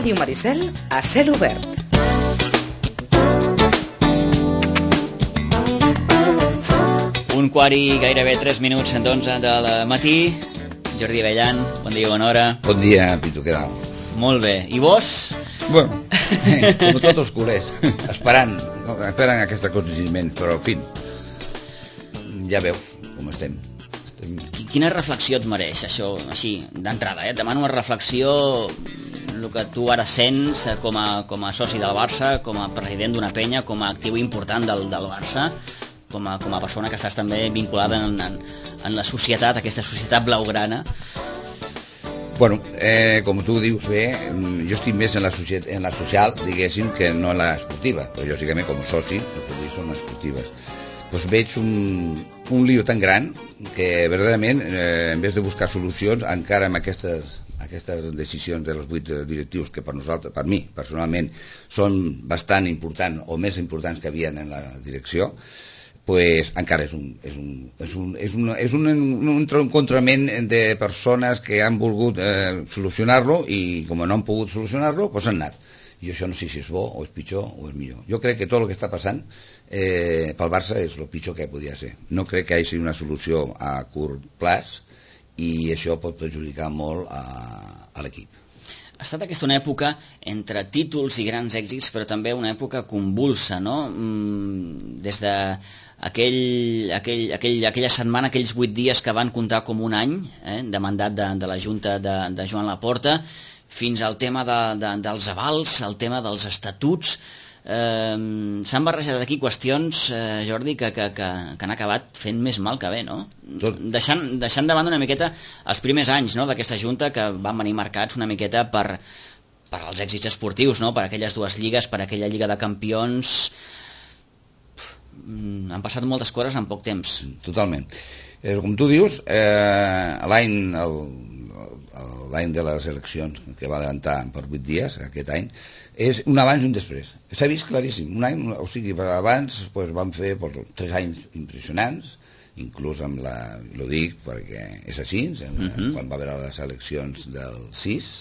Ràdio Maricel a cel obert. Un quart i gairebé 3 minuts d'11 del matí. Jordi Bellan, bon dia, bona hora. Bon dia, Pitu, què tal? Molt bé. I vos? Bueno, com tots els culers, esperant aquest aconteciment, però en fi, ja veus com estem. Quina reflexió et mereix això, així, d'entrada, Et demano una reflexió, el que tu ara sents com a soci del Barça, com a president d'una penya, com a actiu important del Barça, com a persona que estàs també vinculada en la societat, aquesta societat blaugrana. Bueno, com tu dius bé, jo estic més en la social, diguéssim, que no en l'esportiva, però lògicament com a soci, el que dic són les esportives. Doncs veig un lío tan gran que verdaderament, en vez de buscar solucions, encara amb aquestes decisions dels 8 directius que per nosaltres, per mi personalment, són bastant importants o més importants que havien en la direcció, pues encara és un encontrament de persones que han volgut solucionar-lo i com no han pogut solucionar-lo, pues han anat. I això no sé si és bo o és pitjor o és millor. Jo crec que tot el que està passant pel Barça és el pitjor que podia ser. No crec que hi hagi una solució a curt plaç i això pot perjudicar molt a l'equip. Ha estat aquesta una època entre títols i grans èxits, però també una època convulsa, no? Des de aquella setmana, aquells 8 dies que van comptar com un any de mandat de la Junta de Joan Laporta, fins al tema dels avals, el tema dels estatuts. S'han barrejat aquí qüestions, Jordi, que han acabat fent més mal que bé, no? Deixant de banda una miqueta els primers anys, no?, d'aquesta Junta, que van venir marcats una miqueta per els èxits esportius, no?, per aquelles 2 lligues, per aquella Lliga de Campions. Han passat moltes coses en poc temps. Totalment. Com tu dius, l'any de les eleccions, que va adelantar per 8 dies, aquest any, és un abans i un després. S'ha vist claríssim. Un any, o sigui, abans van fer 3 anys impressionants, inclús amb lo dic perquè és així, quan va haver les eleccions del 6,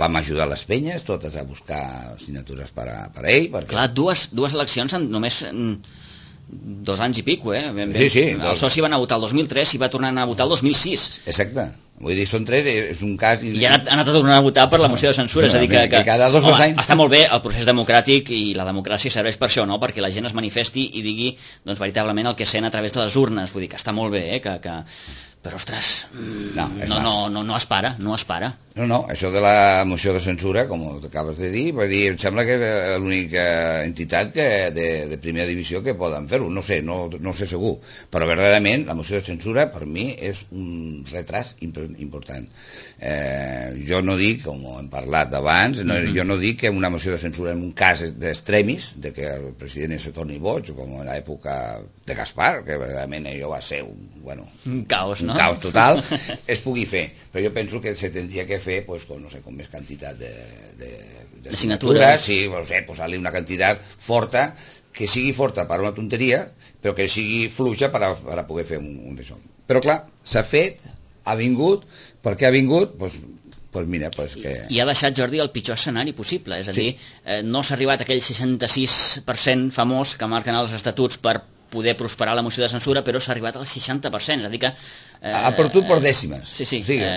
vam ajudar les penyes totes a buscar signatures per a ell. Clar, dues eleccions en només 2 anys i pico, Sí. El soci va anar a votar el 2003 i va tornar a anar a votar el 2006. Exacte. Vull dir, són 3, és un cas... I ha anat a tornar a votar per la moció de censura, és a dir que cada 2 anys... Està molt bé el procés democràtic i la democràcia serveix per això, no?, perquè la gent es manifesti i digui, doncs, veritablement el que sent a través de les urnes. Vull dir que està molt bé, però, ostres, no es para. No, això de la moció de censura, com acabes de dir, em sembla que és l'única entitat de primera divisió que poden fer-ho. No sé segur, però verdaderament la moció de censura per mi és un retras important. Jo no dic, com hem parlat abans, jo no dic que una moció de censura en un cas d'extremis, de que el president se torni boig, com en l'època de Gaspar, que verdaderament allò va ser un caos, no? Un caos total, es pugui fer. Però jo penso que se tindria que fer con més quantitat de signatures, sí, posar-li una quantitat forta, que sigui forta per una tonteria, però que sigui fluixa per a poder fer un d'això. Però clar, s'ha fet, ha vingut, perquè ha vingut, mira, que... I ha deixat, Jordi, el pitjor escenari possible, és a dir, no s'ha arribat a aquell 66% famós que marquen els estatuts per poder prosperar la moció de censura, però s'ha arribat al 60%, és a dir que... Ha perdut per dècimes. Sí,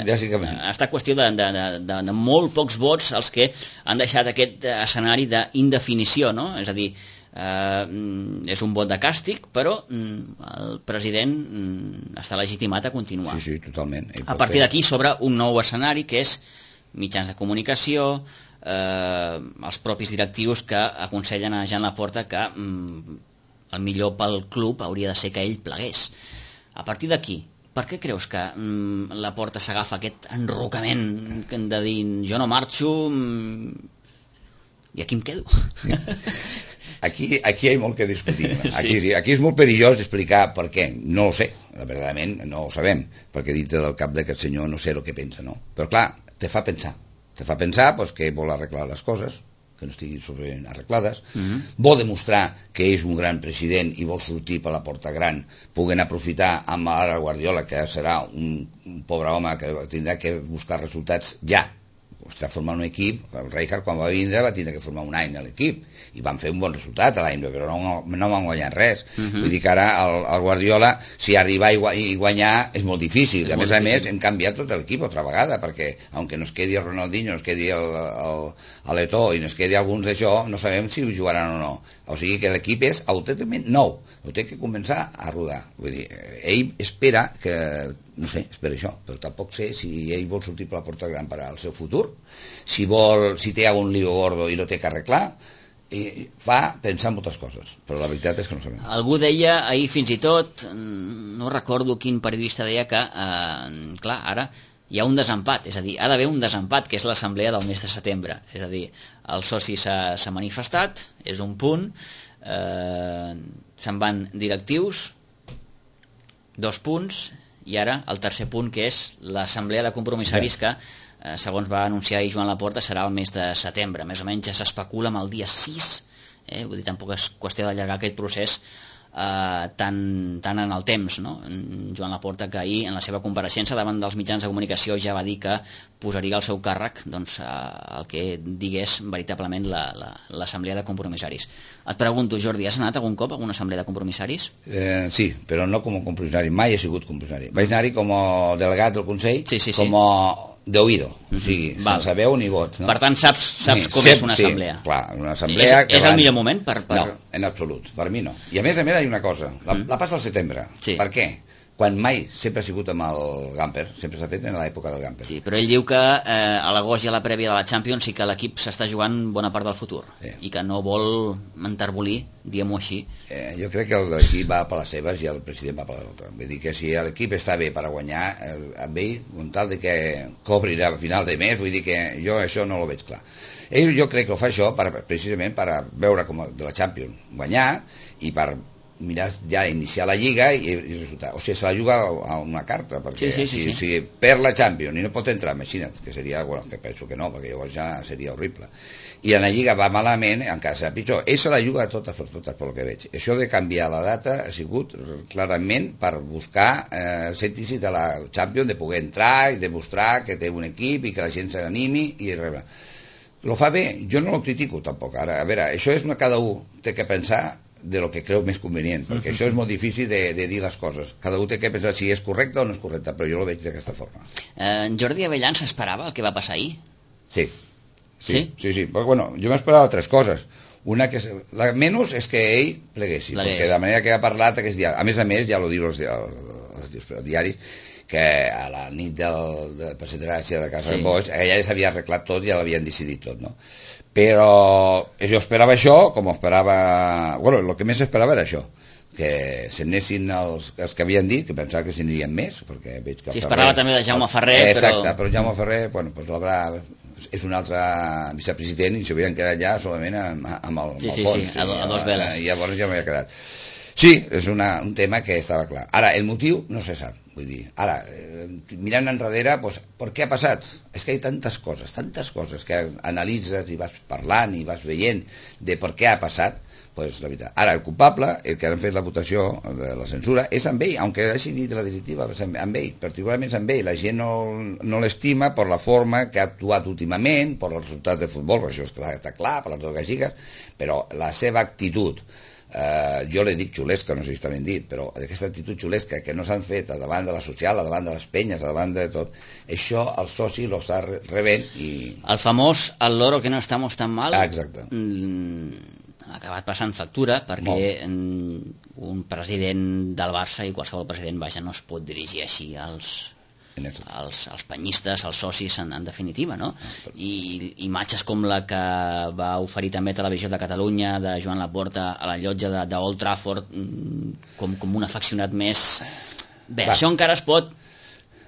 bàsicament. Ha estat qüestió de molt pocs vots els que han deixat aquest escenari d'indefinició, no? És a dir, és un vot de càstig, però el president està legitimat a continuar. Sí, totalment. A partir d'aquí s'obre un nou escenari, que és mitjans de comunicació, els propis directius que aconsellen a Joan Laporta que el millor pel club hauria de ser que ell plegués. A partir d'aquí, per què creus que Laporta s'agafa aquest enrocament de dir jo no marxo i aquí em quedo? Aquí hi ha molt que discutir. Aquí és molt perillós explicar per què. No ho sé, verdaderament no ho sabem, perquè dintre del cap d'aquest senyor no sé el que pensa, no? Però clar, te fa pensar que vol arreglar les coses, que no estiguin ben arreglades, vol demostrar que és un gran president i vol sortir per la porta gran, puguen aprofitar amb ara Guardiola, que serà un pobre home que tindrà que buscar resultats ja, està formant un equip. El Rijkaard, quan va vindre, va tindre que formar un any a l'equip, i van fer un bon resultat a l'any, però no van guanyar res. Vull dir que ara el Guardiola, si arribar i guanyar, és molt difícil. A més, hem canviat tot l'equip altra vegada, perquè, aunque nos quedi el Ronaldinho, nos quedi l'Eto'o i nos quedi alguns d'això, no sabem si jugaran o no. O sigui que l'equip és autènticament nou, ho té que començar a rodar. Vull dir, ell espera que, no sé, espera això, però tampoc sé si ell vol sortir per la porta gran per al seu futur, si té algun lío gordo i lo té que arreglar, i fa pensar en moltes coses, però la veritat és que no sabem. Algú deia ahir fins i tot, no recordo quin periodista deia que, clar, ara hi ha un desempat, és a dir, ha d'haver un desempat, que és l'assemblea del mes de setembre, és a dir, el soci s'ha manifestat, és un punt, se'n van directius, 2 punts, i ara el tercer punt, que és l'assemblea de compromissaris que, segons va anunciar ahir Joan Laporta, serà el mes de setembre. Més o menys ja s'especula amb el dia 6, vull dir, tampoc és qüestió d'allargar aquest procés tant en el temps, no? Joan Laporta, que ahir en la seva compareixença davant dels mitjans de comunicació ja va dir que posaria al seu càrrec el que digués veritablement l'assemblea de compromissaris. Et pregunto, Jordi, has anat algun cop a alguna assemblea de compromissaris? Sí, però no com a compromissari, mai he sigut compromissari. Vaig anar-hi com a delegat del Consell, com a d'oïdo, o sigui, sense veu ni vot, no? Per tant, saps com és una assemblea. Sí, clar, una assemblea... És el millor moment per... No, en absolut, per mi no. I a més, hi ha una cosa, la passa al setembre. Per què? Quan mai sempre ha sigut amb el Gamper, sempre s'ha fet en l'època del Gamper. Sí, però ell diu que a l'agost i a la prèvia de la Champions sí que l'equip s'està jugant bona part del futur, i que no vol enterbolir, diguem-ho així. Jo crec que l'equip va per les seves i el president va per l'altra. Vull dir que si l'equip està bé per a guanyar, amb ell, amb tal de que cobri a final de mes, vull dir que jo això no ho veig clar. Ell jo crec que ho fa això precisament per veure com de la Champions guanyar i per mirar ja iniciar la Lliga i resultar. O sigui, se la juga a una carta, perquè si perd la Champions i no pot entrar, imagina't, que seria, bueno, que penso que no, perquè llavors ja seria horrible. I en la Lliga va malament, encara serà pitjor. Ell se la juga totes per totes, pel que veig. Això de canviar la data ha sigut clarament per buscar sentir-s'hi de la Champions, de poder entrar i demostrar que té un equip i que la gent s'animi i res. Lo fa bé, jo no lo critico tampoc. Ara, a veure, això és cada un té que pensar de lo que creu més convenient, perquè això és molt difícil de dir les coses. Cada un té que pensar si és correcte o no és correcte, però jo lo veig d'aquesta forma. Jordi Avellán s'esperava el que va passar ahir? Sí. Però, bueno, jo m'esperava 3 coses. Una que la menys és que ell pleguessi, perquè de manera que ha parlat aquest dia, a més, ja lo diu els diaris, que a la nit de Perseverància de Casa de Boix, ella ja s'havia arreglat tot i ja l'havien decidit tot, no? Però jo esperava això, com esperava... Bueno, el que més esperava era això, que se n'anessin els que havien dit, que pensava que se n'anirien més, perquè veig que... Sí, esperava també de Jaume Ferrer, Exacte, però Jaume Ferrer, bueno, doncs l'haurà... És un altre vicepresident i s'haurien quedat ja solament amb el fons. Sí, a 2 veles. I llavors ja m'havia quedat. Sí, és un tema que estava clar. Ara, el motiu no se sap. Vull dir, ara, mirant enrere, doncs, per què ha passat? És que hi ha tantes coses que analitzes i vas parlant i vas veient de per què ha passat, doncs la veritat. Ara, el culpable, el que han fet la votació de la censura, és amb ell, aunque hagi dit la directiva, amb ell, particularment amb ell. La gent no l'estima per la forma que ha actuat últimament, per els resultats de futbol, això està clar, per les dues gagigas, però la seva actitud, jo li dic xulesca, no sé si està ben dit, però aquesta actitud xulesca que no s'han fet davant de la social, davant de les penyes, davant de tot, això el soci lo està rebent i... El famós "al loro que no estamos tan mal", exacte. Ha acabat passant factura, perquè un president del Barça i qualsevol president, vaja, no es pot dirigir així als penyistes, als socis en definitiva, no? I imatges com la que va oferir també Televisió de Catalunya de Joan Laporta a la llotja d'Old Trafford com un afeccionat més... Bé, això encara es pot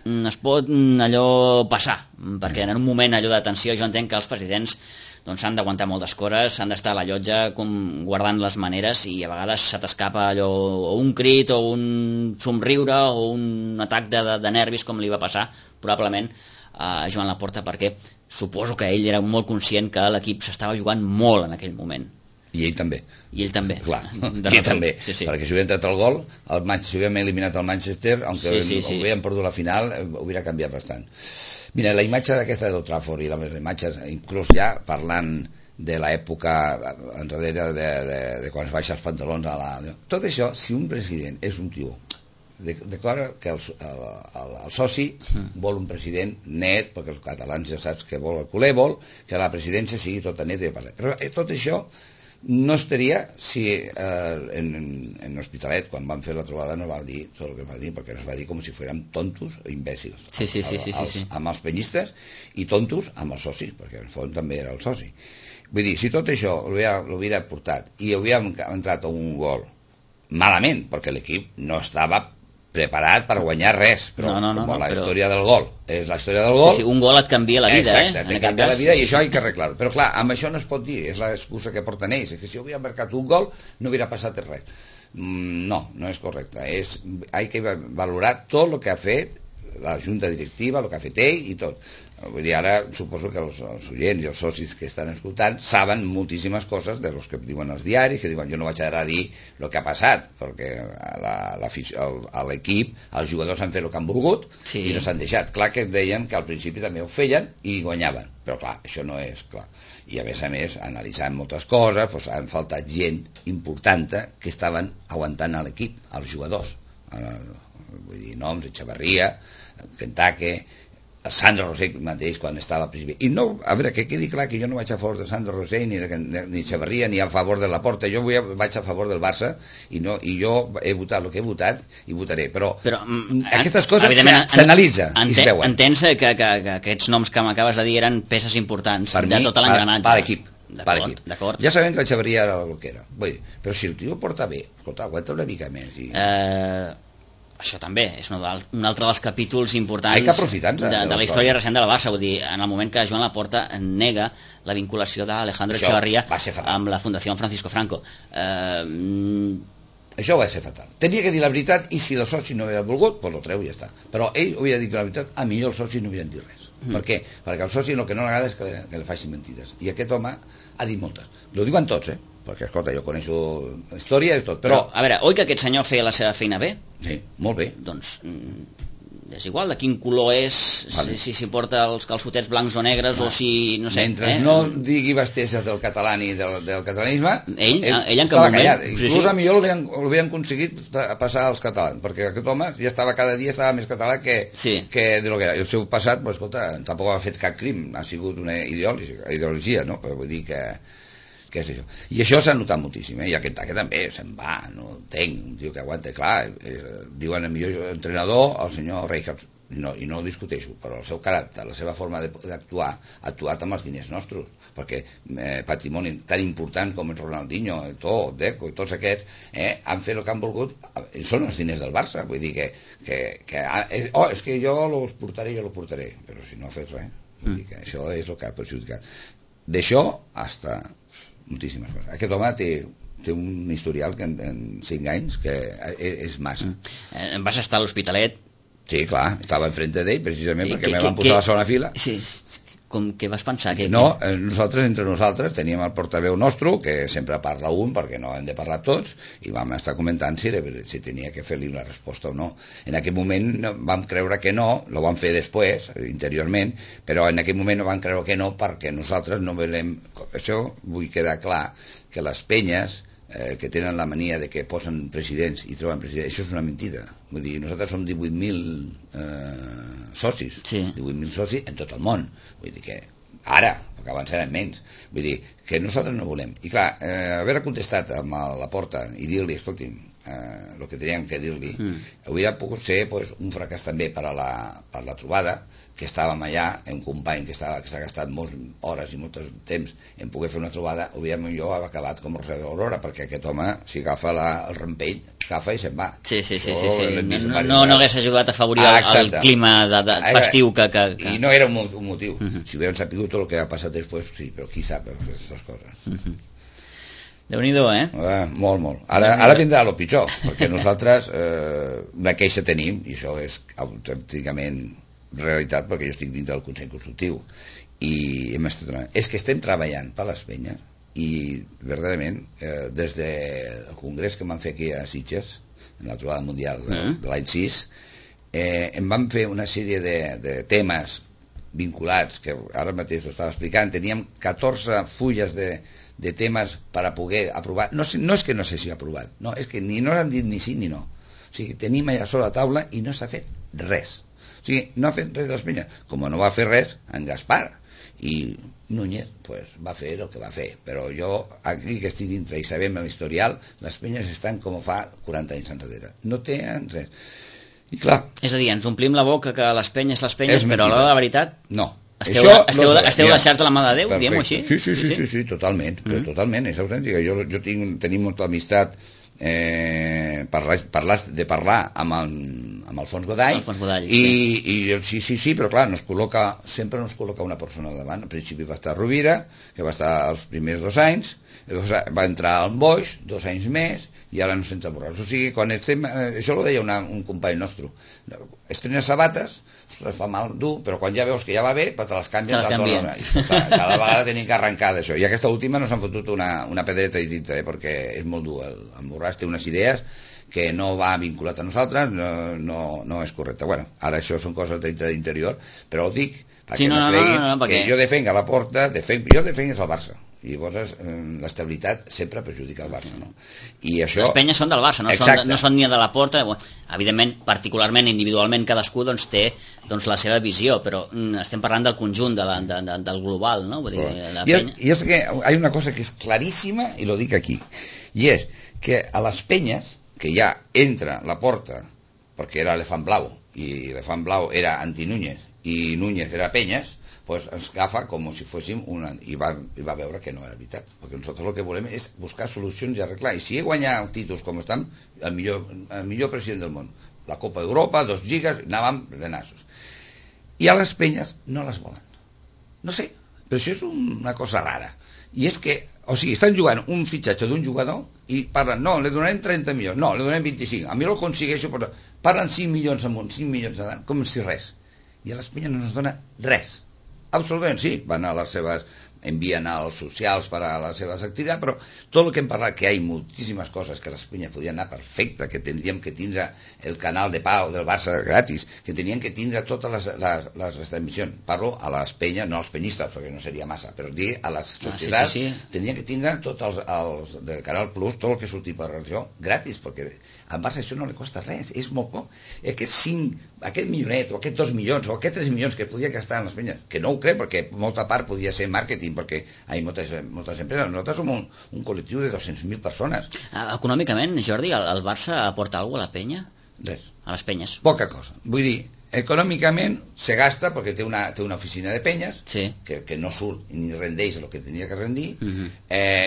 allò passar, perquè en un moment allò de tensió jo entenc que els presidents s'han d'aguantar moltes coses, s'han d'estar a la llotja guardant les maneres i a vegades se t'escapa allò, o un crit o un somriure o un atac de nervis, com li va passar probablement a Joan Laporta, perquè suposo que ell era molt conscient que l'equip s'estava jugant molt en aquell moment. I ell també. I ell també. Clar, i ell també. Sí, sí. Perquè si hubieran tret el gol, si hubieran eliminat el Manchester, aunque sí. hubieran perdut la final, hubiera canviat bastant. Mira, la imatge d'aquesta d'Old Trafford i les imatges, inclús ja parlant de l'època enrere de quan es baixa els pantalons a la... Tot això, si un president és un tio declara que el soci vol un president net, perquè els catalans ja saps que vol el culer, vol que la presidència sigui tota neta. Però tot això no estaria si en l'Hospitalet, quan van fer la trobada, no va dir tot el que va dir, perquè es va dir com si fossin tontos o imbècils. Sí. Amb els penyistes i tontos amb els socis, perquè en fons també era el soci. Vull dir, si tot això l'hubiera portat i hauríem entrat a un gol malament, perquè l'equip no estava preparat per guanyar res, però la història del gol és la història del gol. Sí, un gol et canvia la vida, exacte, et canvia la vida, i això hi ha que arreglar-ho. Però clar, amb això no es pot dir, és l'excusa que porten ells, que si hauria marcat un gol no hauria passat res. No és correcte. Hay que valorar tot el que ha fet la junta directiva, el que ha fet ell i tot. Vull dir, ara suposo que els oients i els socis que estan escoltant saben moltíssimes coses de los que diuen els diaris, que diuen jo no vaig anar a dir el que ha passat, perquè a l'equip els jugadors han fet el que han volgut i no s'han deixat. Clar que deien que al principi també ho feien i guanyaven, però clar, això no és clar. I a més, analitzant moltes coses, doncs han faltat gent important que estaven aguantant a l'equip, als jugadors. Vull dir, noms, Echeverría, Kentucky, Sandro Rosell mateix quan estava president. I no, a veure, que quedi clar que jo no vaig a favor de Sandro Rosell ni Echeverría ni a favor de Laporta, jo vaig a favor del Barça i jo he votat el que he votat i votaré, però aquestes coses s'analitza i es veuen. Entens que aquests noms que m'acabes de dir eren peces importants de tot l'engranatge per l'equip. D'acord. Ja sabem que l'Echeverría era el que era, però si el tio porta bé, escolta, aguanta una mica més això també és un altre dels capítols importants de la història recent de la Barça. Vull dir, en el moment que Joan Laporta nega la vinculació d'Alejandro Echeverría amb la Fundació Francisco Franco, això va ser fatal. Tenia que dir la veritat, i si el soci no havia volgut, doncs lo treu i ja està. Però ell hauria dit la veritat, a millor els socis no havien dit res. Per què? Perquè al soci el que no li agrada és que li facin mentides, i aquest home ha dit moltes. Lo diuen tots, perquè, escolta, jo coneixo la història i tot, però... A veure, oi que aquest senyor feia la seva feina bé? Sí, molt bé. Doncs és igual de quin color és, si porta els calçotets blancs o negres o si, no sé... Mentre no digui besteses del català ni del catalanisme, ell en cap moment... Inclús a millor l'havien aconseguit passar als catalans, perquè aquest home ja estava cada dia més català que de lo que era. El seu passat, escolta, tampoc ha fet cap crim, ha sigut una ideologia, no? Però vull dir que és això. I això s'ha notat moltíssim, i aquest també se'n va, no entenc, un tio que aguanta, clar, diuen el millor entrenador, el senyor Rijkaard, i no ho discuteixo, però el seu caràcter, la seva forma d'actuar, ha actuat amb els diners nostres, perquè patrimoni tan important com el Ronaldinho, el Deco i tots aquests han fet el que han volgut, són els diners del Barça, vull dir és que jo los portaré, però si no ha fet res, vull dir que això és el que ha perjudicat. D'això hasta moltíssimes coses. Aquest home té un historial que en 5 anys que és massa. Vas estar a l'Hospitalet? Sí, clar, estava enfrente d'ell precisament perquè me van posar a la segona fila. Sí. Què vas pensar? No, entre nosaltres teníem el portaveu nostre, que sempre parla un perquè no hem de parlar tots, i vam estar comentant si tenia que fer-li una resposta o no. En aquell moment vam creure que no, lo vam fer després, interiorment, però en aquell moment no vam creure que no perquè nosaltres no volem... Això vull quedar clar, que les penyes que tenen la mania de que posen presidents i troben presidents, això és una mentida. Vull dir, nosaltres som 18.000 socis, 18.000 socis en tot el món. Vull dir que ara, perquè abans eren menys, vull dir que nosaltres no volem. I clar, haver contestat amb la porta i dir-li, escolti'm, el que teníem que dir-li, hauria pogut ser un fracàs també per a la trobada, que estàvem allà, un company que s'ha gastat moltes hores i molt temps en poder fer una trobada, hauríem millor acabat com Roser de l'Aurora, perquè aquest home, si agafa el rampell, agafa i se'n va. Sí. No hagués ajudat a afavorir el clima festiu que... I no era un motiu. Si hubieran sapigut tot el que ha passat després, sí, però qui sap aquestes coses. Déu-n'hi-do, Molt. Ara vindrà el pitjor, perquè nosaltres una queixa tenim, i això és autènticament realitat, perquè jo estic dins del Consell Consultiu, i és que estem treballant per les penyes i verdaderament des del congrés que van fer aquí a Sitges, en la trobada mundial de l'any 6, em van fer una sèrie de temes vinculats, que ara mateix ho estava explicant. Teníem 14 fulles de temes per a poder aprovar. No és que no s'hagi aprovat, no, és que no han dit ni sí ni no. O sigui, tenim allà sobre la taula i no s'ha fet res. O sigui, no ha fet res d'Espanya. Com no va fer res en Gaspar, i Núñez pues, va fer el que va fer. Però jo, aquí que estic dintre i sabem l'historial, les penyes estan com fa 40 anys enrere. No tenen res. I clar... És a dir, ens omplim la boca que les penyes, però a l'hora de la veritat... No. Esteu deixats de la mà de Déu, diguem-ho així? Sí, totalment. Però totalment, és autèntica. Jo tenim molta amistat parlar amb Alfons Godall, i sí, però clar, sempre nos col·loca una persona al davant. Al principi va estar Rovira, que va estar els primers 2 anys, va entrar al Boix 2 anys més, i ara no sents Borràs. O sigui, quan estem... Això ho deia un company nostre. Estrenes sabates, fa mal dur, però quan ja veus que ja va bé, te les canvien. Cada vegada tenim que arrencar d'això. I aquesta última nos han fotut una pedreta i dintre, perquè és molt dur. El Borràs té unes idees que no va vinculat a nosaltres, no és correcte. Bueno, ara això són coses d'interior, però ho dic perquè no creguin que jo defenc a la Porta, jo defenc el Barça. I llavors l'estabilitat sempre perjudica el Barça, no? I això... Les penyes són del Barça, no són ni de la Porta. Evidentment, particularment, individualment, cadascú té la seva visió, però estem parlant del conjunt, del global, no? Vull dir, la penya... I és que hi ha una cosa que és claríssima, i lo dic aquí, i és que a les penyes, que ja entra la Porta, perquè era l'elefant blau, i l'elefant blau era anti-Núñez, i Núñez era Penyes, pues ens agafa com si fóssim i va veure que no era veritat, perquè nosaltres el que volem és buscar solucions i arreglar, i si he guanyat títols com estem, el millor president del món, la Copa d'Europa, 2 lligues, anàvem de nassos, i a les penyes no les volen, no sé, però això és una cosa rara, i és que, o sigui, estan jugant un fitxatge d'un jugador i parlen, no, li donarem 30 milions, no, li donarem 25, a mi el aconsegueixo, però parlen 5 milions amunt, 5 milions amunt, com si res, i a les penyes no ens dona res. Absolutament, sí, van a les seves, envien als socials per a les seves activitats, però tot el que hem parlat, que hi ha moltíssimes coses que les penyes podien anar perfecte, que tindríem que tindre el canal de pau del Barça gratis, que tenien que tindre totes les transmissions. Parlo a les penyes, no als penyistes, perquè no seria massa, però dir a les societats, tindrien que tindre tots els del Canal Plus, tot el que surti per regió, gratis, perquè al Barça això no li costa res, és molt poc. Aquest millonet, o aquests 2 milions, o aquests 3 milions que podia gastar en les penyes, que no ho crec, perquè molta part podia ser màrqueting, perquè hi ha moltes empreses. Nosaltres som un col·lectiu de 200.000 persones. Econòmicament, Jordi, el Barça aporta alguna cosa a la penya? Res. A les penyes? Poca cosa. Vull dir, econòmicament se gasta perquè té una oficina de penyes, que no surt ni rendeix el que tenia que rendir.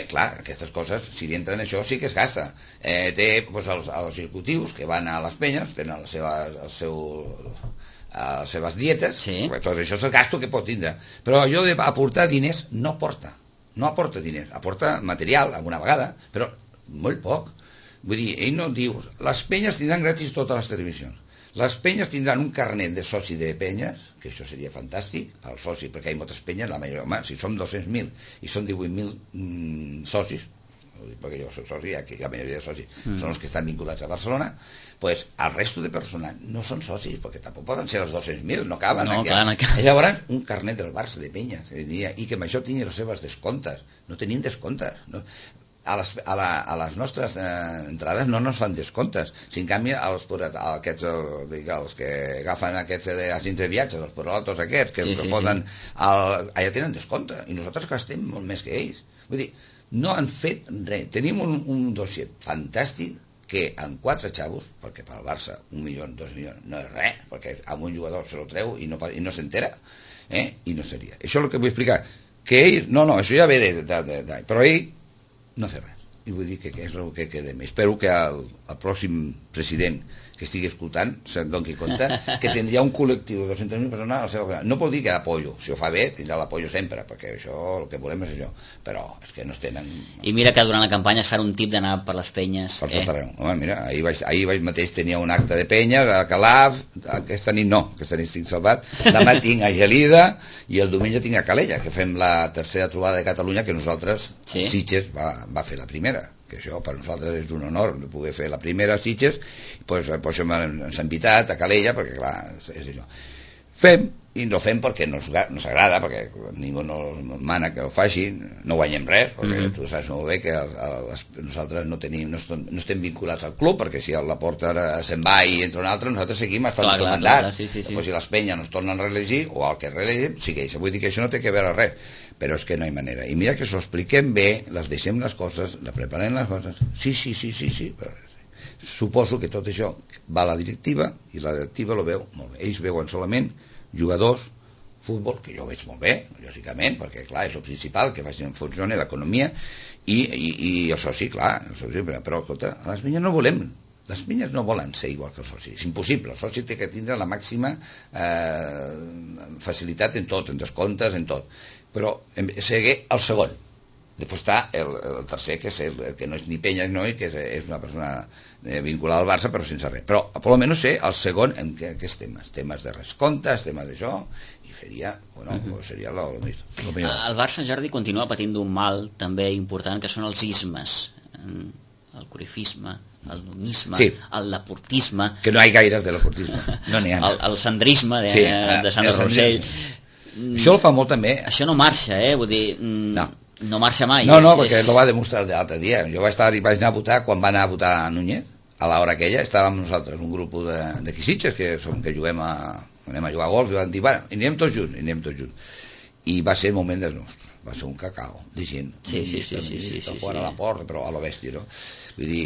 Clar, aquestes coses, si entren això, sí que es gasta. Té els executius que van a les penyes, tenen les seves dietes, tot això és el gasto que pot tindre. Però allò d'aportar diners no aporta diners, aporta material alguna vegada, però molt poc. Vull dir, ell no diu, les penyes tindran gratis totes les televisions. Les penyes tindran un carnet de soci de penyes, que això seria fantàstic, el soci, perquè hi ha moltes penyes, la majoria, si som 200.000 i són 18.000 socis, perquè jo soc soci, aquí la majoria de socis són els que estan vinculats a Barcelona, pues el resto de persones no són socis, perquè tampoc poden ser els 200.000, no caben. Llavors, un carnet del Barça de penyes, i que amb això tingui les seves descomptes. No tenim descomptes, no. A les nostres entrades no ens fan descomptes. Si en canvi els que agafen aquests agents de viatges, els porolotos aquests, que foten allà tenen descompte, i nosaltres gastem molt més que ells. Vull dir, no han fet res. Tenim un dossier fantàstic que en 4 xavos, perquè per al Barça 1 milió, 2 milions no és res, perquè amb un jugador se lo treu i no s'entera, i no seria. Això és el que vull explicar, que ell, això ja ve però ell no fer res, i vull dir que és el que queda més. Espero que el pròxim president que estigui escoltant, se'n doni compte, que tindria un col·lectiu de 200.000 persones al seu... No vol dir que apoyo, si ho fa bé, tindrà l'apoyo sempre, perquè això, el que volem és això, però és que no es tenen... I mira que durant la campanya es farà un tip d'anar per les penyes. Per tot arreu. Home, mira, ahir mateix tenia un acte de penya a Calaf, aquesta nit estic salvat, demà tinc a Gelida i el diumenge tinc a Calella, que fem la tercera trobada de Catalunya, que nosaltres, Sitges, va fer la primera, que això per nosaltres és un honor de poder fer la primera a Sitges, doncs per això ens han invitat a Calella, perquè clar, és això. Fem, i no fem perquè no s'agrada, perquè ningú no mana que ho faci, no guanyem res, perquè tu saps molt bé que nosaltres no estem vinculats al club, perquè si la porta se'n va i entra un altre, nosaltres seguim fins al mandat. Després si les penyes no es tornen a reelegir, o el que reelegim, segueix. Vull dir que això no té que veure res, però és que no hi ha manera. I mira que s'ho expliquem bé, les deixem les coses, la preparem les coses, sí, però suposo que tot això va a la directiva, i la directiva lo veu molt bé. Ells veuen solament jugadors, futbol, que jo ho veig molt bé, lògicament, perquè clar, és el principal, que funcioni l'economia, i el soci, clar, però escolta, les penyes no volem, les penyes no volen ser igual que el soci, és impossible, el soci té que tindre la màxima facilitat en tot, en descomptes, en tot, però seguir el segon. Després està el tercer, que és el que no és ni penya ni noi, que és una persona vinculada al Barça, però sense res. Però, per almenys sé el segon en aquests temes. Temes de rescomptes, temes d'això, i seria el millor. El Barça, Jordi, continua patint d'un mal també important, que són els ismes. El corifisme, el numisme, el laportisme... Que no hi ha gaires de laportisme, no n'hi ha. El sandrisme de Sant Rossell. Això el fa molt també. Això no marxa, vull dir... No marxa mai. No, perquè ho va demostrar l'altre dia. Jo vaig anar a votar, quan va anar a votar a Núñez, a l'hora aquella, estàvem nosaltres, un grup de Quisitges, que anem a jugar a golf, i van dir, bueno, i anem tots junts. I va ser el moment dels nostres. Va ser un cacao de gent. Sí. Fora a la porta, però a la bèstia, no? Vull dir,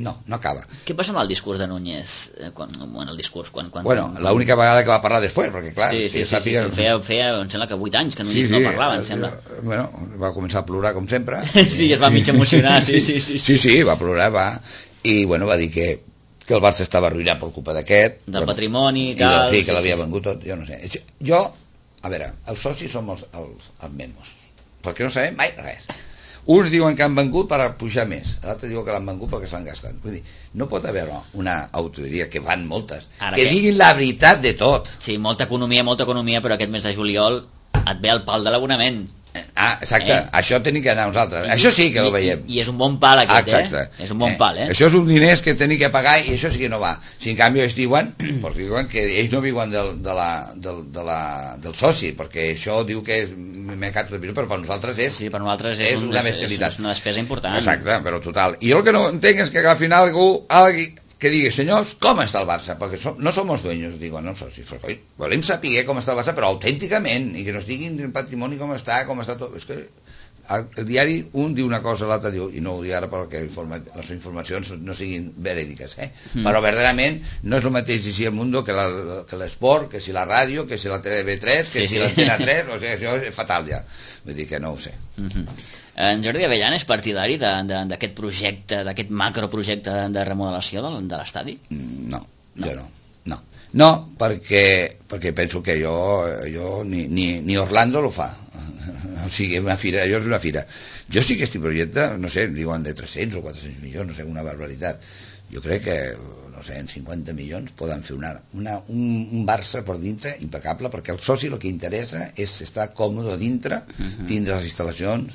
no acaba. Què passa amb el discurs de Núñez? Bueno, l'única vegada que va parlar després, perquè clar... Feia, em sembla que 8 anys que Núñez no parlava, em sembla. Bueno, va començar a plorar, com sempre. Sí, es va mig emocionar, sí. Sí, va plorar, i bueno, va dir que el Barça estava arruïnat per culpa d'aquest. Del patrimoni i tal. Sí, que l'havia vengut tot, jo no sé. Jo, a veure, els socis som els memos, perquè no sabem mai res. Uns diuen que han vengut per pujar més, l'altre diu que l'han vengut perquè s'han gastat. Vull dir, no pot haver una autoria, que van moltes, que diguin la veritat de tot. Sí, molta economia, però aquest mes de juliol et ve el pal de l'abonament. Exacte, això tenim que anar nosaltres. Això sí que ho veiem. I és un bon pal aquest, És un bon pal, Això és un diners que tenim que pagar i això sí que no va. Si en canvi ells diuen que ells no viuen del soci, perquè això diu que és mercat de però per nosaltres és... Sí, per nosaltres és una bestialitat. És una despesa important. Exacte, però total. I jo el que no entenc és que al final algú que digui, senyors, com està el Barça? Perquè no som els dueños, digo, no socis. Volem saber com està el Barça, però autènticament, i que nos diguin el patrimoni com està tot. És que el diari un diu una cosa, l'altre diu, i no ho dic ara perquè les informacions no siguin verídiques, però verdaderament no és el mateix si el Mundo que l'Esport, que si la ràdio, que si la TV3, que si l'Antena 3, o sigui, això és fatal ja. Vull dir que no ho sé. En Jordi Avellana és partidari d'aquest projecte, d'aquest macroprojecte de remodelació de l'estadi? No, jo no. No, perquè penso que jo ni Orlando lo fa. O sigui, allò és una fira. Jo sí que estic projecte, no sé, diuen de 300 o 400 milions, no sé, una barbaritat. Jo crec que, no sé, en 50 milions poden fer un Barça per dintre impecable, perquè el soci el que interessa és estar còmode dintre, tindre les instal·lacions,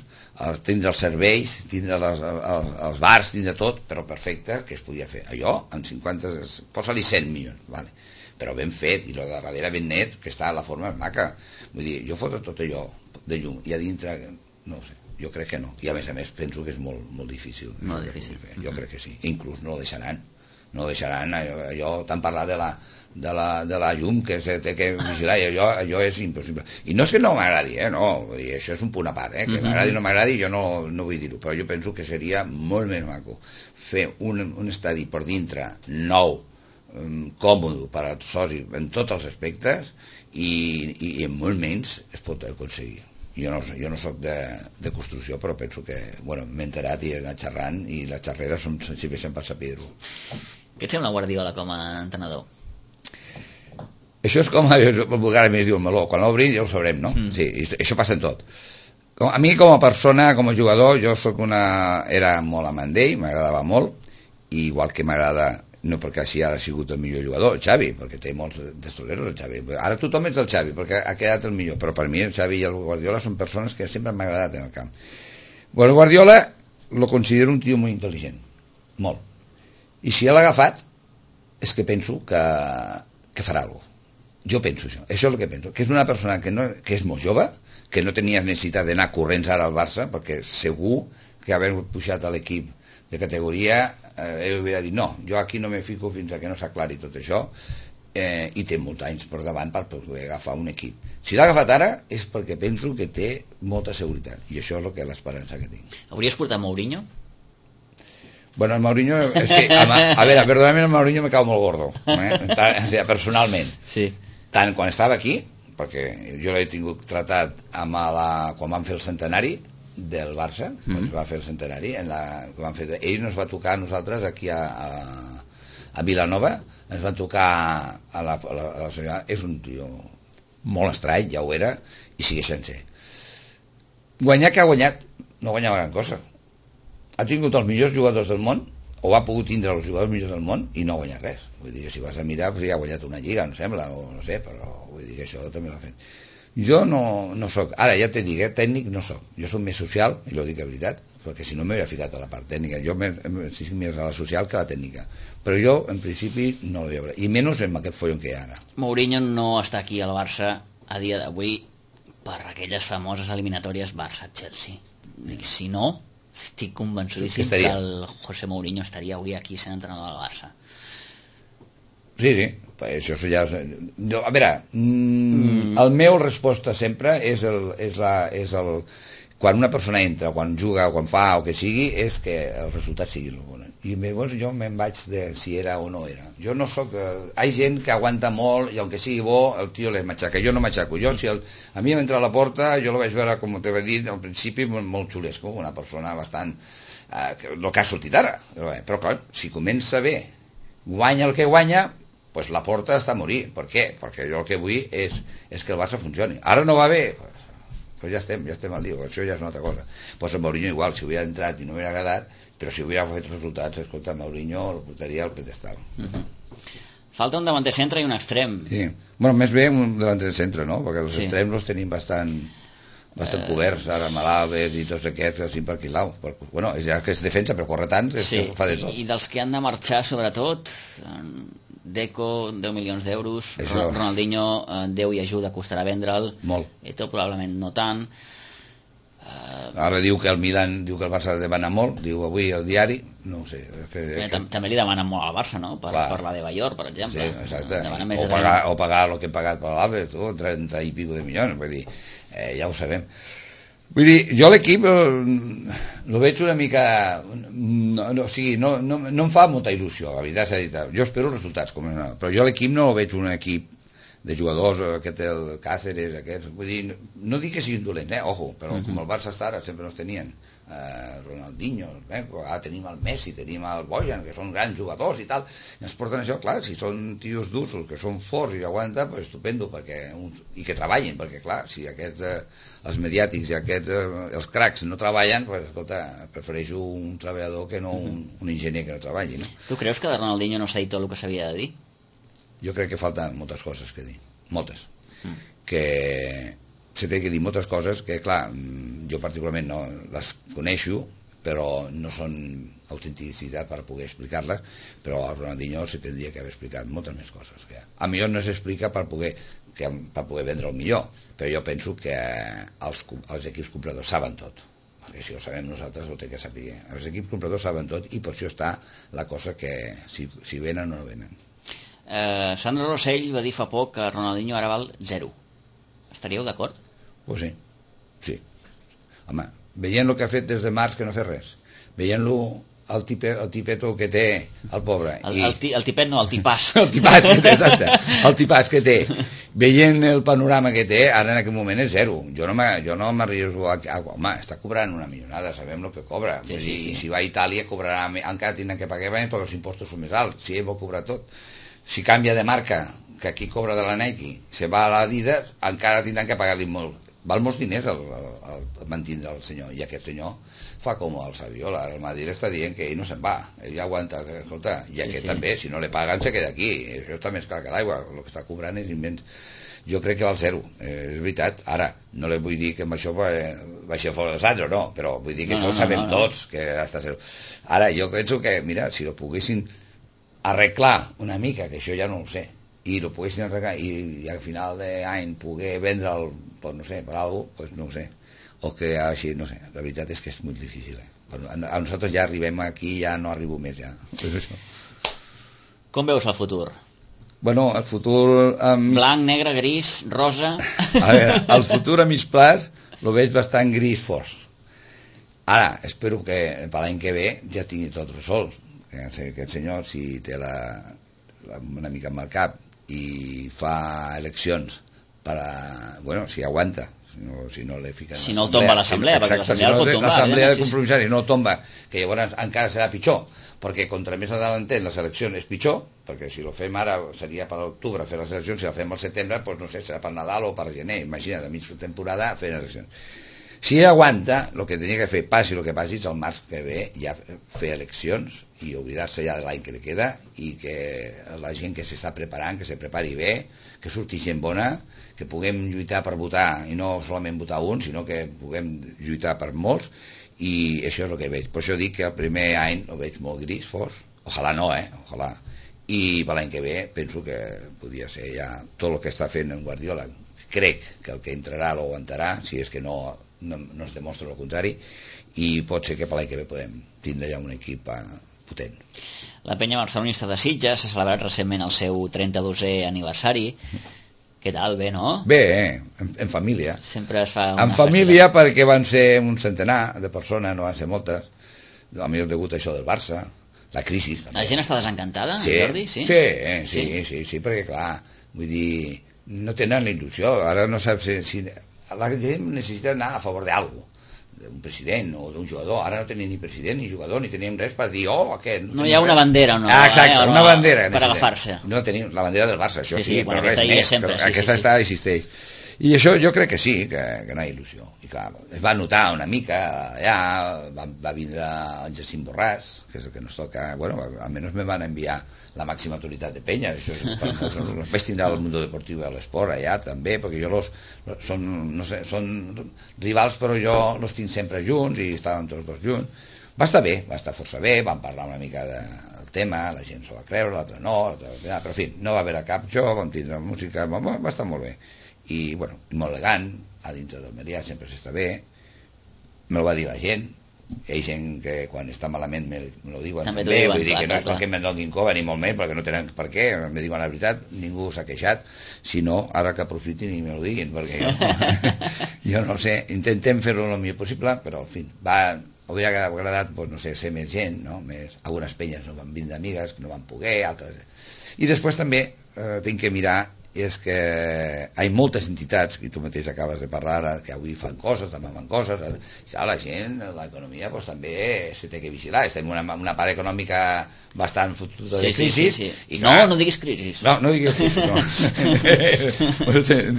tindre els serveis, tindre els bars, tindre tot, però perfecte, que es podia fer. Allò, en 50, posa-li 100 milions, vale. Però ben fet, i el de darrere ben net, que està a la forma maca. Vull dir, jo foto tot allò de llum, i a dintre, no ho sé, jo crec que no. I a més penso que és molt difícil. Molt difícil. Jo crec que sí. Inclús no ho deixaran. No ho deixaran, allò tant parlar de la llum que se té que vigilar, i allò és impossible. I no és que no m'agradi, no, vull dir, això és un punt a part, que m'agradi o no m'agradi, jo no vull dir-ho, però jo penso que seria molt més maco fer un estadi per dintre nou, còmode per als socis en tots els aspectes, i en molt menys es pot aconseguir. Jo no soc de construcció, però penso que m'he enterat i he anat xerrant, i les xerreres si veixen per saber-ho. Què et sembla Guardiola com a entrenador? Això és com, vulgarment es diu el meló, quan l'obri ja ho sabrem, no? Sí, això passa en tot. A mi com a persona, com a jugador, jo era molt amant d'ell, m'agradava molt, i igual que m'agrada, no perquè així ara ha sigut el millor jugador, el Xavi, perquè té molts destoleros el Xavi. Ara tothom és el Xavi, perquè ha quedat el millor, però per mi el Xavi i el Guardiola són persones que sempre m'ha agradat en el camp. Bueno, Guardiola lo considero un tio molt intel·ligent, molt. I si l'ha agafat, és que penso que farà alguna cosa. Jo penso això és el que penso, que és una persona que és molt jove, que no tenia necessitat d'anar corrents ara al Barça, perquè segur que haver pujat a l'equip de categoria, ell hauria dit, no, jo aquí no me fico fins a que no s'aclari tot això, i té molts anys per davant per poder agafar un equip. Si l'ha agafat ara és perquè penso que té molta seguretat, i això és l'esperança que tinc. Hauries portat Mourinho? Bueno, el Mourinho, és que, a veure, perdonament, el Mourinho me cau molt gordo, personalment. Sí. Tant quan estava aquí, perquè jo l'he tingut tratat quan van fer el centenari del Barça, quan es va fer el centenari, ell nos va tocar a nosaltres aquí a Vilanova, ens van tocar a la senyora, és un tio molt estrany, ja ho era, i segueix sent ser. Guanyar que ha guanyat, no guanyava gran cosa. Ha tingut els millors jugadors del món, o ha pogut tindre els jugadors millors del món i no ha guanyat res. Vull dir que si vas a mirar, ja ha guanyat una lliga, em sembla, o no sé, però vull dir que això també l'ha fet. Jo no soc, ara ja t'he dit, tècnic no soc. Jo soc més social, i ho dic de veritat, perquè si no m'hauria ficat a la part tècnica. Jo estic més a la social que a la tècnica. Però jo, en principi, no l'hi hauré. I menys amb aquest follon que hi ha ara. Mourinho no està aquí al Barça a dia d'avui per aquelles famoses eliminatòries Barça-Chelsea. Dic, si no, estic convençudíssim que el José Mourinho estaria avui aquí sent entrenador del Barça. Sí, això ja... A veure, el meu resposta sempre és quan una persona entra, quan juga, quan fa o que sigui, és que el resultat sigui el bon. I llavors jo me'n vaig de si era o no era. Jo no soc... Hi ha gent que aguanta molt i aunque sigui bo, el tio li matxaca. Jo no matxaco. A mi m'entra a la porta, jo la vaig veure, com t'he dit, al principi molt xulesco, una persona bastant... el que ha sortit ara. Però clar, si comença bé, guanya el que guanya, pues la porta està a morir. Per què? Perquè jo el que vull és que el Barça funcioni. Ara no va bé, pues ja estem al dia, això ja és una altra cosa. Pues el Mourinho igual, si hubiera entrat i no hubiera agradat, però si hubiera fet resultats, escolta, Mourinho el portaria al pedestal. Falta un davanter centre i un extrem. Sí, bueno, més bé un davanter centre, no? Perquè els extrems els tenim bastant coberts, ara Malàvez i tots aquests, així per aquí lau. Bueno, ja que és defensa, però corre tant, que fa de tot. I dels que han de marxar, sobretot... Deco, 10 milions d'euros, Ronaldinho, 10 i ajuda, costarà vendre'l. Molt. Eto probablement no tant. Ara diu que el Milan, diu que el Barça demana molt, diu avui el diari, no ho sé. També li demanen molt al Barça, no? Per la de Bayor, per exemple. Sí, exacte. O pagar el que hem pagat per l'Albert, 30 i pico de milions, vull dir, ja ho sabem. Vull dir, jo l'equip el veig una mica... No em fa molta il·lusió, la veritat s'ha dit. Jo espero resultats, però jo l'equip no veig un equip de jugadors, aquest el Cáceres, aquests... Vull dir, no dic que siguin dolents, ojo, però com el Barça està ara, sempre els tenien. Ronaldinho, ara tenim el Messi, tenim el Bojan, que són grans jugadors i tal, i ens porten això, clar, si són tios d'usos, que són forts i aguanten, pues estupendo, i que treballin, perquè clar, si aquests, els mediàtics i aquests, els cracs no treballen, pues escolta, prefereixo un treballador que no un enginyer que no treballi, no? Tu creus que de Ronaldinho no s'ha dit tot el que s'havia de dir? Jo crec que falten moltes coses que dir, moltes, que se té que dir moltes coses que, clar, jo particularment no les coneixo, però no són autenticitat per poder explicar-les, però a Ronaldinho se tindria que haver explicat moltes més coses. A millor no s'explica per poder vendre el millor, però jo penso que els equips compradors saben tot, perquè si ho sabem nosaltres ho té que saber. Els equips compradors saben tot i per això està la cosa que si venen o no venen. Sandro Rosell va dir fa poc que Ronaldinho ara val 0. Estaríeu d'acord? Pues sí. Home, veient el que ha fet des de març que no ha fet res, veient-lo el tipeto que té el pobre. El tipet no, el tipàs. El tipàs, exacte. El tipàs que té. Veient el panorama que té, ara en aquest moment és zero. Jo no m'arribo home, està cobrant una milionada, sabem el que cobra. Sí, I si va a Itàlia cobrarà, encara tindran que pagar més perquè els impostos són més alts. Si ell vol cobrar tot. Si canvia de marca, que aquí cobra de la Nike, se va a l'Adidas, encara tindran que pagar-li molt. Val molts diners el mantindre el senyor, i aquest senyor fa com el Saviola. El Madrid està dient que ell no se'n va, ell aguanta, escolta, i aquest també, si no le paguen se queda aquí, això està més clar que l'aigua, el que està cobrant és immens. Jo crec que val zero, és veritat. Ara, no li vull dir que amb això baixi fora de Sandro, no, però vull dir que això ho sabem tots, que està zero. Ara, jo penso que, mira, si ho poguessin arreglar una mica, que això ja no ho sé, i ho poguessin arreglar i al final d'any poder vendre'l, pues no sé, per alguna cosa, pues no ho sé, o que així, no sé, la veritat és que és molt difícil, a nosaltres ja arribem aquí, ja no arribo més, ja. Com veus el futur? Bueno, el futur... Blanc, negre, gris, rosa... A veure, el futur a mig plaç lo veig bastant gris fos. Ara, espero que per l'any que ve ja tingui tot resolt, que aquest senyor, si té una mica amb el cap i fa eleccions per a... Bueno, si aguanta, si no le fiquen... Si no el tomba l'assemblea, perquè l'assemblea el pot tombar. L'assemblea de compromissaris no el tomba, que llavors encara serà pitjor, perquè contra més adelantent les eleccions és pitjor, perquè si lo fem ara seria per l'octubre fer les eleccions, si la fem al setembre, doncs no sé, serà per Nadal o per gener, imagina't, a mig temporada fer eleccions. Si ell aguanta, el que tenia que fer, passi el que passi, és el març que ve ja fer eleccions i oblidar-se ja de l'any que li queda, i que la gent que s'està preparant, que se prepari bé, que surti gent bona, que puguem lluitar per votar, i no solament votar un, sinó que puguem lluitar per molts, i això és el que veig. Per això dic que el primer any ho veig molt gris, fos, ojalà no, ojalà. I per l'any que ve penso que podria ser ja tot el que està fent en Guardiola. Crec que el que entrarà lo aguantarà, si és que no es demostra el contrari, i pot ser que per l'any que ve podem tindre ja un equip potent. La penya barcelonista de Sitges s'ha celebrat recentment el seu 32è aniversari. Què tal? Bé, no? Bé, en família. Sempre es fa una en família festa. Perquè van ser un centenar de persones, no van ser moltes. A mi degut a això del Barça, la crisi també. La gent està desencantada, sí, Jordi? Sí, perquè clar, vull dir, no tenen la il·lusió. Ara no saps si la gent necessita anar a favor d'algú, d'un president o d'un jugador. Ara no tenim ni president ni jugador, ni tenim res per dir, aquest... No hi ha una bandera, no? Exacte, una bandera. Per agafar-se. No tenim la bandera del Barça, això sí, bueno, però res més. Aquesta existeix. I això jo crec que sí, que no hi ha il·lusió. I clar, es va notar una mica allà, va vindre en Jacint Borràs, que és el que nos toca, bueno, almenys me van enviar la màxima autoritat de penya, això és, per molts, els vaig tindre al Mundo Deportiu i a l'Esport allà també, perquè jo són, no sé, són rivals, però jo els tinc sempre junts i estàvem tots dos junts. Va estar bé, va estar força bé, vam parlar una mica del tema, la gent s'ho va creure, l'altra no, però en fi, no va haver cap joc, vam tindre música, va estar molt bé. I, bueno, molt elegant, a dintre del Melià sempre s'està bé, me ho va dir la gent, hi ha gent que quan està malament me lo diuen també, vull dir que no és que me'n donin cova ni molt més, perquè no tenen per què, me diuen la veritat, ningú s'ha queixat, sinó ara que aprofitin i me lo diguin, perquè jo no sé, intentem fer-ho el millor possible, però en fi, hauria agradat, doncs, no sé, ser més gent, no? Algunes penyes no van vindre amigues, no van poder, altres... I després també tinc que mirar és que hi ha moltes entitats, i tu mateix acabes de parlar ara, que avui fan coses, demà fan coses, ja la gent, l'economia pues, també se té que vigilar, estem en una part econòmica bastant fotuda de crisi. Sí. I clar, no diguis crisi. No diguis crisi, no.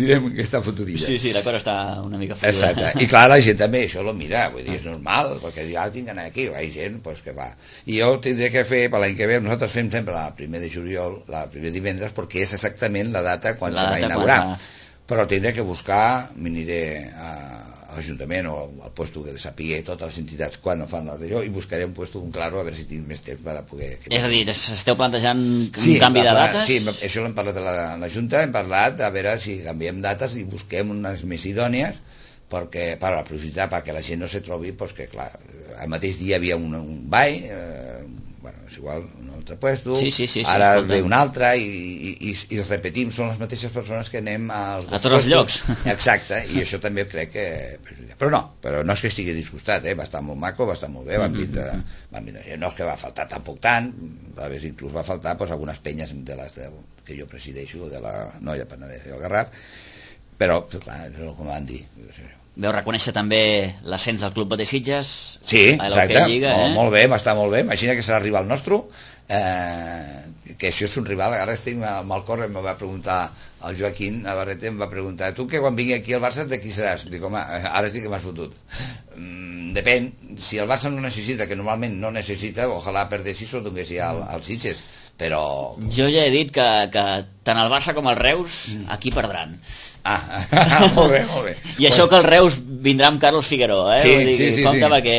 Direm que està fotudilla. Sí, la cosa està una mica fotuda. Exacte, i clar, la gent també això lo mira, vull dir, és normal, perquè ja tinc d'anar aquí, hi ha gent pues, que va. I jo tindré que fer, per l'any que ve, nosaltres fem sempre el 1 de juliol, el primer divendres, perquè és exactament la data quan se va inaugurar, però tindré que buscar, m'aniré a l'Ajuntament o al puesto que sapigui totes les entitats quan no fan d'allò i buscaré un puesto un claro a veure si tinc més temps per a poder... És a dir, esteu plantejant un canvi de dates? Sí, això l'hem parlat a la Junta, hem parlat a veure si canviem dates i busquem unes més idònies perquè, per aprofitar perquè la gent no se trobi, doncs que clar, al mateix dia hi havia un ball, bueno, és igual, un altre puesto, ara ve un altre i repetim, són les mateixes persones que anem a tots els llocs. Exacte, i això també crec que... Però no és que estigui disgustat, va estar molt maco, va estar molt bé, van vindre, no és que va faltar tampoc tant, a vegades inclús va faltar algunes penyes de les que jo presideixo, de la Noia Penedès i el Garraf, però clar, és com van dir. Veu reconèixer també l'ascens del Club Botey Sitges? Sí, exacte, Lliga, molt bé, m'està molt bé, imagina que serà rival nostre, que això és un rival, ara estic amb el cor, em va preguntar el Joaquín Navarrete, em va preguntar, tu que quan vingui aquí al Barça de qui seràs? Dic, home, ara sí que m'has fotut. Depèn, si el Barça no necessita, que normalment no necessita, ojalà perdessis o donguessi als Sitges, però... Jo ja he dit que tant el Barça com el Reus aquí perdran. Molt bé. I això que el Reus vindrà amb Carlos Figueroa, Sí. Compte, perquè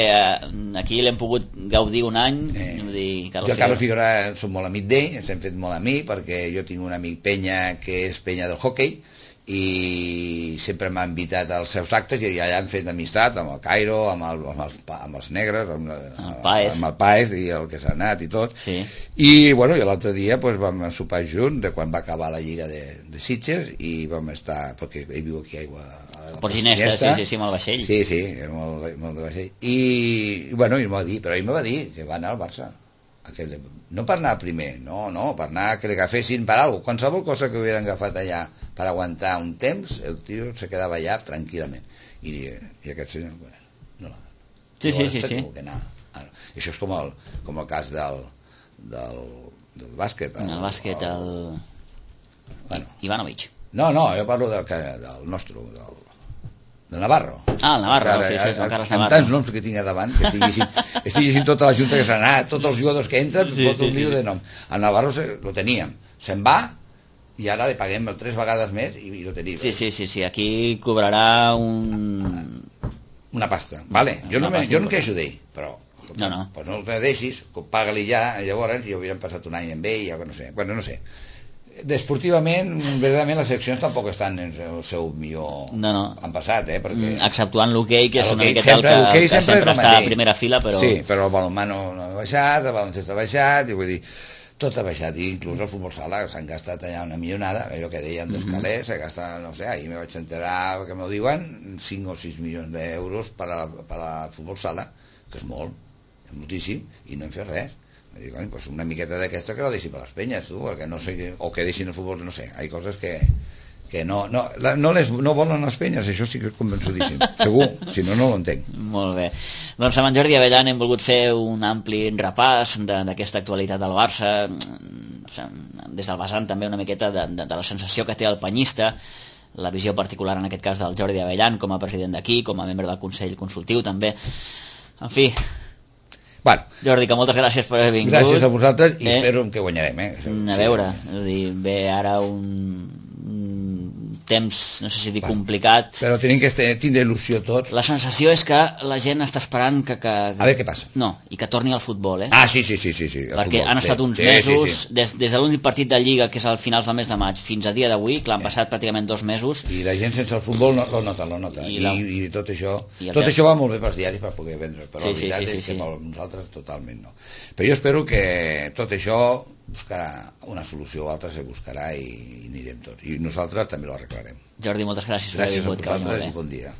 aquí l'hem pogut gaudir un any. Jo Carlos Figueroa som molt amic d'ell, ens hem fet molt amic, perquè jo tinc un amic Penya que és Penya del hoquei, i sempre m'ha invitat als seus actes i allà hem fet amistat amb el Cairo, amb els negres, amb el Paez i el que s'ha anat i tot, i bueno, i l'altre dia vam sopar junts de quan va acabar la Lliga de Sitges i vam estar, perquè ell viu aquí a Aigua Port Ginesta, sí, amb el vaixell, sí, era molt de vaixell, i bueno, ell m'ho va dir, però ell m'ho va dir que va anar al Barça, no per anar primer, no, per anar que l'agafessin per alguna cosa, qualsevol cosa que hubieran agafat allà per aguantar un temps, el tio se quedava allà tranquil·lament, i aquest senyor no. Sí. Que anar. Això és com el cas del bàsquet, el bàsquet, Ivanovic. No, jo parlo del nostre, del Navarro. El Navarro, sí, Juan Carlos Navarro. Amb tants noms que tinc davant, que estic llegint tota la junta que s'ha anat, tots els jugadors que entren, un lío de nom. El Navarro lo teníem, se'n va, i ara li paguem 3 vegades més i lo tenim. Sí, aquí cobrarà una pasta, vale. Jo no em queixo d'ell, però pues no el deixis, paga-li ja, llavors ja hauríem passat un any amb ell, ja no sé. Desportivament, verdaderament les seccions tampoc estan en el seu millor han passat, perquè... exceptuant l'hoquei, que és una miqueta el que sempre està a primera fila, però... Sí, però el balonmano no ha baixat, el baloncesto ha baixat, i vull dir, tot ha baixat, i inclús el futbol sala s'han gastat allà una millonada, allò que deien d'Escalers, s'ha gastat, no sé, ahir me vaig enterar que m'ho diuen, 5 o 6 milions d'euros per a futbol sala, que és molt, és moltíssim, i no hem fet res. Dic, pues una miqueta d'aquesta que la deixi per les penyes, tu, perquè no sé, o que deixin el futbol, no sé, hi ha coses que no volen les penyes, això sí que és convençudíssim, segur, si no ho entenc. Molt bé, doncs amb en Jordi Avellan hem volgut fer un ampli repàs d'aquesta actualitat del Barça, des del vessant també una miqueta de la sensació que té el penyista, la visió particular en aquest cas del Jordi Avellan com a president d'aquí, com a membre del Consell Consultiu també, en fi. Bueno, Jordi, que moltes gràcies per haver vingut. Gràcies a vosaltres i espero que guanyarem. A veure, ve ara un temps, no sé si dir complicat, però tenim que tindre il·lusió tots. La sensació és que la gent està esperant que... A veure què passa. No, i que torni al futbol, Sí. Perquè han estat uns mesos, des de l'últim partit de Lliga, que és al finals del mes de maig, fins a dia d'avui, que l'han passat pràcticament 2 mesos. I la gent sense el futbol lo nota. I tot això va molt bé pels diaris per poder vendre, però la veritat és que nosaltres totalment no. Però jo espero que tot això buscarà una solució o altra, se buscarà i anirem tots. I nosaltres també ho arreglarem. Jordi, moltes gràcies per haver vingut. Gràcies a vosaltres i bon dia.